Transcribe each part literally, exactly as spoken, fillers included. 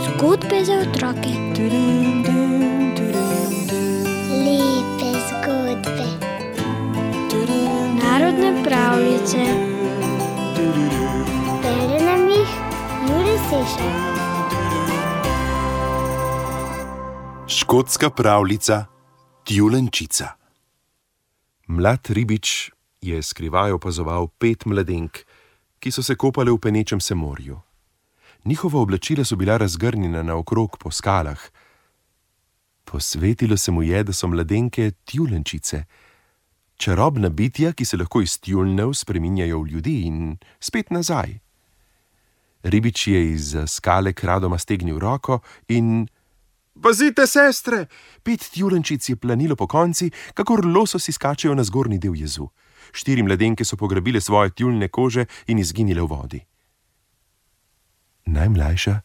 Zgodbe za otroke. Lepe zgodbe. Narodne pravljice. Bere nam jih Jure Sešar. Škotska pravljica Tjulenčica. Mlad ribič je skrivaj opazoval pet mladenk, ki so se kopale v penečem se morju. Njihova oblačila so bila razgrnjena naokrog po skalah. Posvetilo se mu je, da so mladenke tjulenčice, čarobna bitja, ki se lahko iz tjulnjev spreminjajo v ljudi in spet nazaj. Ribič je iz skale kradoma stegnil roko in "Pazite, sestre!" Pet tjulenčic je planilo po konci, kakor lososi skačejo na zgornji del jezu. Štiri mladenke so pograbile svoje tjuljne kože in izginile v vodi. Najmlajša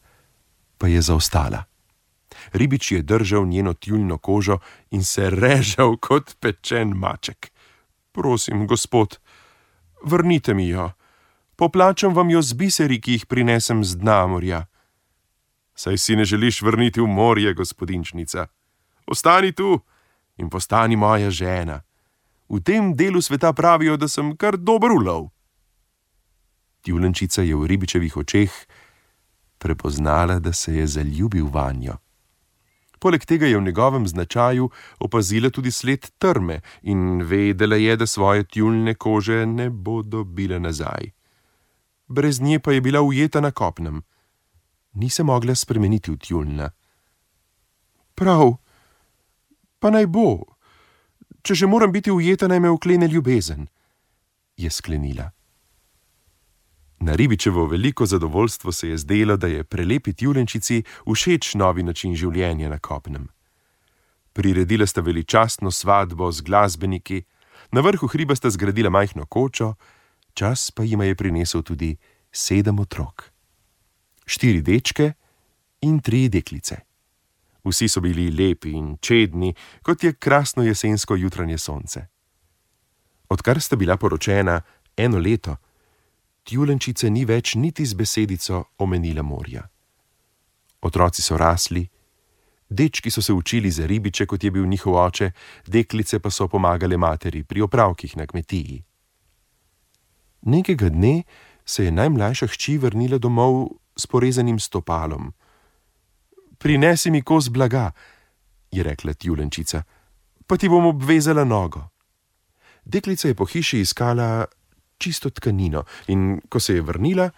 pa je zaostala. Ribič je držal njeno tjuljno kožo in se režal kot pečen maček. "Prosim, gospod, vrnite mi jo. Poplačam vam jo z biseri, ki jih prinesem z dna morja." "Saj si ne želiš vrniti v morje, gospodinčnica. Ostani tu in postani moja žena. V tem delu sveta pravijo, da sem kar dober ulov." Tjulenčica je v ribičevih očeh prepoznala, da se je zaljubil vanjo. Poleg tega je v njegovem značaju opazila tudi sled trme in vedela je, da svoje tjuljne kože ne bo dobila nazaj. Brez nje pa je bila ujeta na kopnem. Ni se mogla spremeniti v tjuljna. "Prav, pa naj bo. Če že moram biti ujeta, naj me uklene ljubezen," je sklenila. Na ribičevo veliko zadovoljstvo se je zdelo, da je prelepi tjulenčici všeč novi način življenja na kopnem. Priredila sta veličastno svatbo z glasbeniki, na vrhu hriba sta zgradila majhno kočo, čas pa jima je prinesel tudi sedem otrok. Štiri dečke in tri deklice. Vsi so bili lepi in čedni, kot je krasno jesensko jutranje sonce. Odkar sta bila poročena eno leto, tjulenčice ni več niti z besedico omenila morja. Otroci so rasli, dečki so se učili za ribiče, kot je bil njihov oče, deklice pa so pomagale materi pri opravkih na kmetiji. Nekega dne se je najmlajša hči vrnila domov s porezanim stopalom. "Prinesi mi kos blaga," je rekla tjulenčica, "pa ti bom obvezala nogo." Deklica je po hiši iskala čisto tkanino in ko se je vrnila,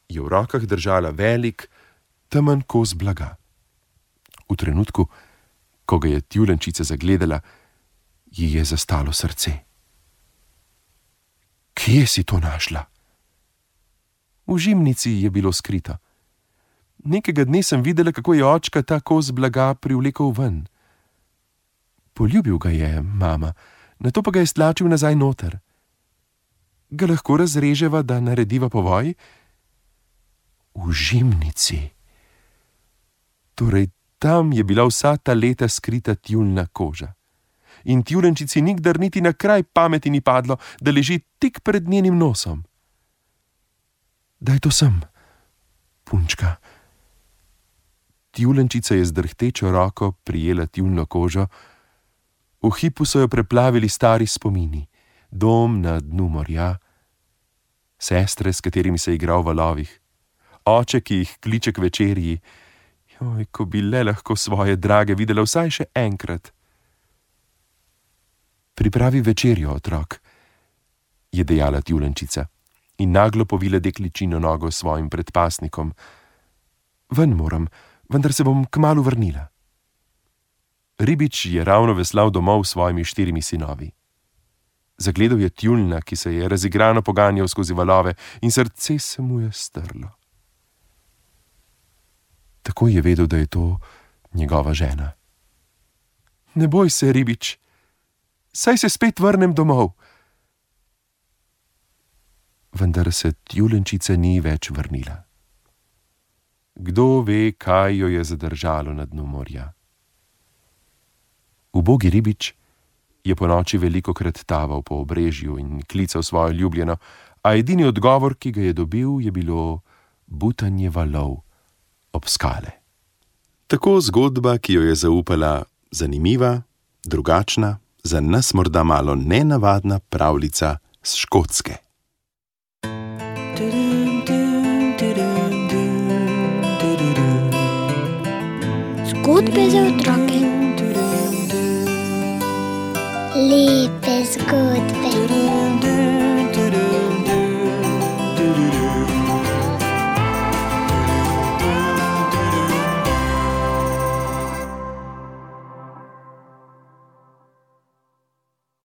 je v rokah držala velik, temen kos blaga. V trenutku, ko ga je tjulenčica zagledala, ji je zastalo srce. "Kje si to našla?" "V žimnici je bilo skrito. Nekega dne sem videla, kako je očka ta kos blaga privlekel ven. Poljubil ga je, mama, nato pa ga je stlačil nazaj noter. Ga lahko razreževa, da narediva povoj?" "V žimnici. Torej tam je bila vsa ta leta skrita tjuljna koža. In tjulenčici nikdar niti na kraj pameti ni padlo, da leži tik pred njenim nosom. Daj to sem, punčka." Tjulenčica je z drhtečo roko prijela tjuljno kožo. V hipu so jo preplavili stari spomini, dom na dnu morja, sestre, s katerimi se je igral v valovih, oče, ki jih kliče k večerji. Joj, ko bi le lahko svoje drage videla vsaj še enkrat. "Pripravi večerjo, otrok," je dejala tjulenčica in naglo povila dekličino nogo s svojim predpasnikom. "Ven moram, vendar se bom kmalu vrnila." Ribič je ravno veslal domov s svojimi štirimi sinovi. Zagledal je tjuljna, ki se je razigrano poganjal skozi valove, in srce se mu je strlo. Takoj je vedel, da je to njegova žena. "Ne boj se, ribič, saj se spet vrnem domov." Vendar se tjulenčica ni več vrnila. Kdo ve, kaj jo je zadržalo na dnu morja. Ubogi ribič je ponoči velikokrat taval po obrežju in klical svojo ljubljeno, a edini odgovor, ki ga je dobil, je bilo butanje valov ob skale. Tako zgodba, ki jo je zaupala zanimiva, drugačna, za nas morda malo nenavadna pravljica s Škotske. Zgodbe za otroke. Lepe zgodbe.